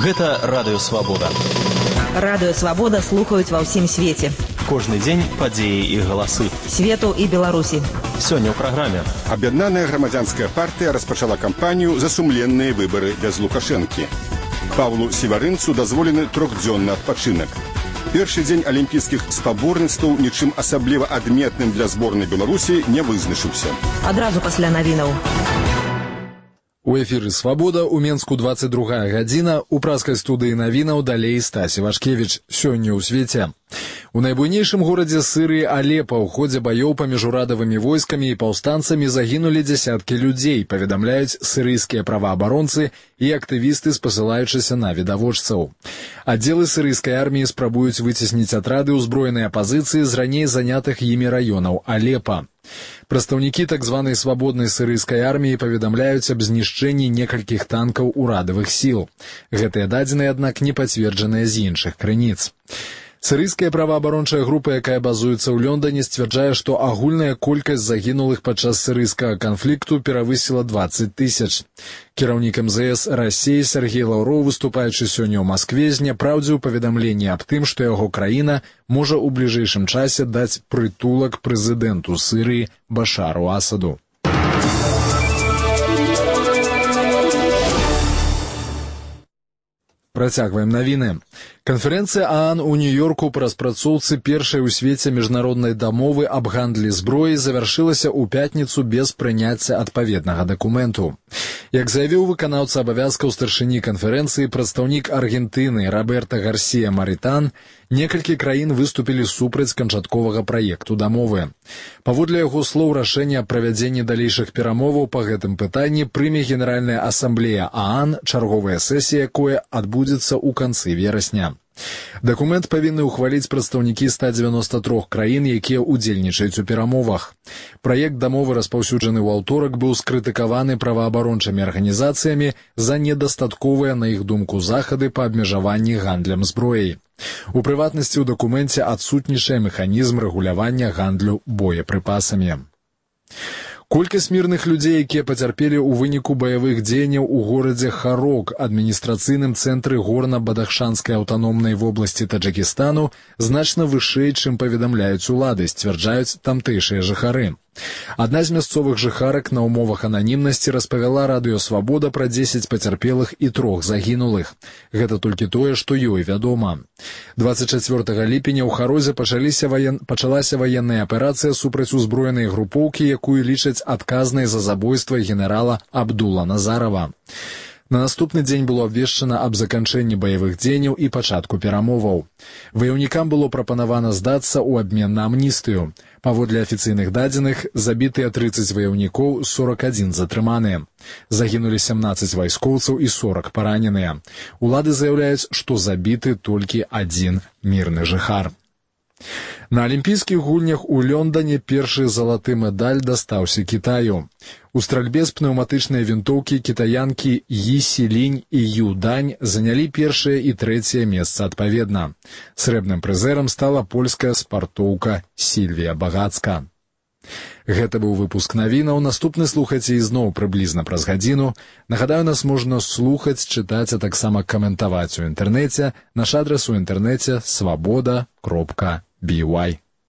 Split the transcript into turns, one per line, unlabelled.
Гэта Радыё Свабода.
Радыё Свабода слухаюць ва ўсім свеце.
Кожны дзень падзеі і галасы.
Свету і Беларусі.
Сёння ў праграме.
Аб'яднаная грамадзянская партыя распачала кампанію за сумленныя выбары без Лукашэнкі. Павлу Севарынцу дазволены трохдзённы адпачынак. Першы дзень алімпійскіх спаборніцтваў нічым асабліва адметным для зборнай Беларусі не вызначыўся.
Адразу пасля навінаў.
У эфіры «Свабода» у Менску 22 гадзіна, у праскай студыі навінаў далей Стасі Вашкевіч. Сёння ў свеце. У найбуйнейшым горадзе Сырыі Алепа ў ходзе баёў паміж урадавымі войскамі і паўстанцамі загінулі дзясяткі людзей, паведамляюць сырыйскія праваабаронцы і актывісты, спасылаючыся на відавочцаў. Аддзелы сырыйскай арміі спрабуюць выцесніць атрады ўзброенай апазіцыі з раней занятых імі раёнаў Алепа. Прадстаўнікі так званай свабоднай сырыйскай арміі паведамляюць аб знішчэнні некалькіх танкаў урадавых сіл. Гэтыя дадзеныя, аднак, не пацверджаныя з іншых крыніц. Сырыйская праваабарончая група, якая базуецца ў Лондоне, сцвярджае, што агульная колькасць загінулых падчас сырыйскага канфлікту перавысіла 20 тысяч. Кіраўнік МЗС Расіі Сергей Лаўроў, выступаючы сёння ў Маскве, зняпраўдзіў паведамленне аб тым, што яго краіна можа ў бліжэйшым часе даць прытулак прэзідэнту Сырыі Башару Асаду. Працягваем навіны. Канферэнцыя ААН у Нью-Йорку па распрацоўцы першай у свеце міжнароднай дамовы аб гандлі зброі завяршылася ў пятніцу без прыняцця адпаведнага дакументу. Як заявіў выканаўца абавязкаў старшыні канферэнцыі, прадстаўнік Аргентыны Роберта Гарсія Маритан, некалькі краін выступілі супраць канчатковага праекту дамовы. Паводле яго слоў, рашэнне аб правядзенні далейшых перамоваў па гэтым пытанні прыме Генеральная асамблея ААН, чарговая сесія якой адбудзецца ў канцы верасня. Дакумент павінны ўхваліць прадстаўнікі 193 краін, якія ўдзельнічаюць у перамовах. Праект дамовы, распаўсюджаны ў аўторак, быў скрытыкаваны праваабарончымі арганізацыямі за недастатковыя, на іх думку, захады па абмежаванні гандлем зброяй. У прыватнасці, ў дакуменце адсутнічае механізм рэгулявання гандлю боепрыпасамі. Колькасць мірных людзей, якія пацярпелі ў выніку баявых дзеянняў у горадзе Харок, адміністрацыйным цэнтры горна-бадахшанскай аўтаномнай вобласці Таджыкістану, значна вышэй, чым паведамляюць улады, сцвярджаюць тамтэйшыя жыхары. Адна з мясцовых жыхарак на ўмовах ананімнасці распавяла Радыё Свабода пра 10 пацярпелых і 3 загінулых. Гэта толькі тое, што ёй вядома. 24 ліпеня ў Харозе пачалася ваенная аперацыя супраць узброенай групоўкі, якую лічаць адказнай за забойства генерала Абдула Назарова. На наступны дзень было абвешчана аб заканчэнні баявых дзеянняў і пачатку перамоваў. Ваяўнікам было прапанавана здацца ў абмен на амністыю. Паводле афіцыйных дадзеных, забітыя 30 ваяўнікоў, 41 затрыманыя. Загінулі 17 вайскоўцаў і 40 параненыя. Улады заяўляюць, што забіты толькі адзін мірны жыхар. На алімпійскіх гульнях у Лондоне першы залаты медаль дастаўся Кітаю. У стральбе з пнеўматычнай вінтоўкі кітаянкі Ї Сілінь і Ю Дань занялі першае і трэцяе месца адпаведна. Срэбным прызэрам стала польская спартоўка Сільвія Багацка. Гэта быў выпуск навінаў. Наступны слухайце ізноў прыблізна праз гадзіну. Нагадаю, нас можна слухаць, чытаць, а таксама каментаваць у інтэрнэце. Наш адрас у інтэрнэце свабода.by.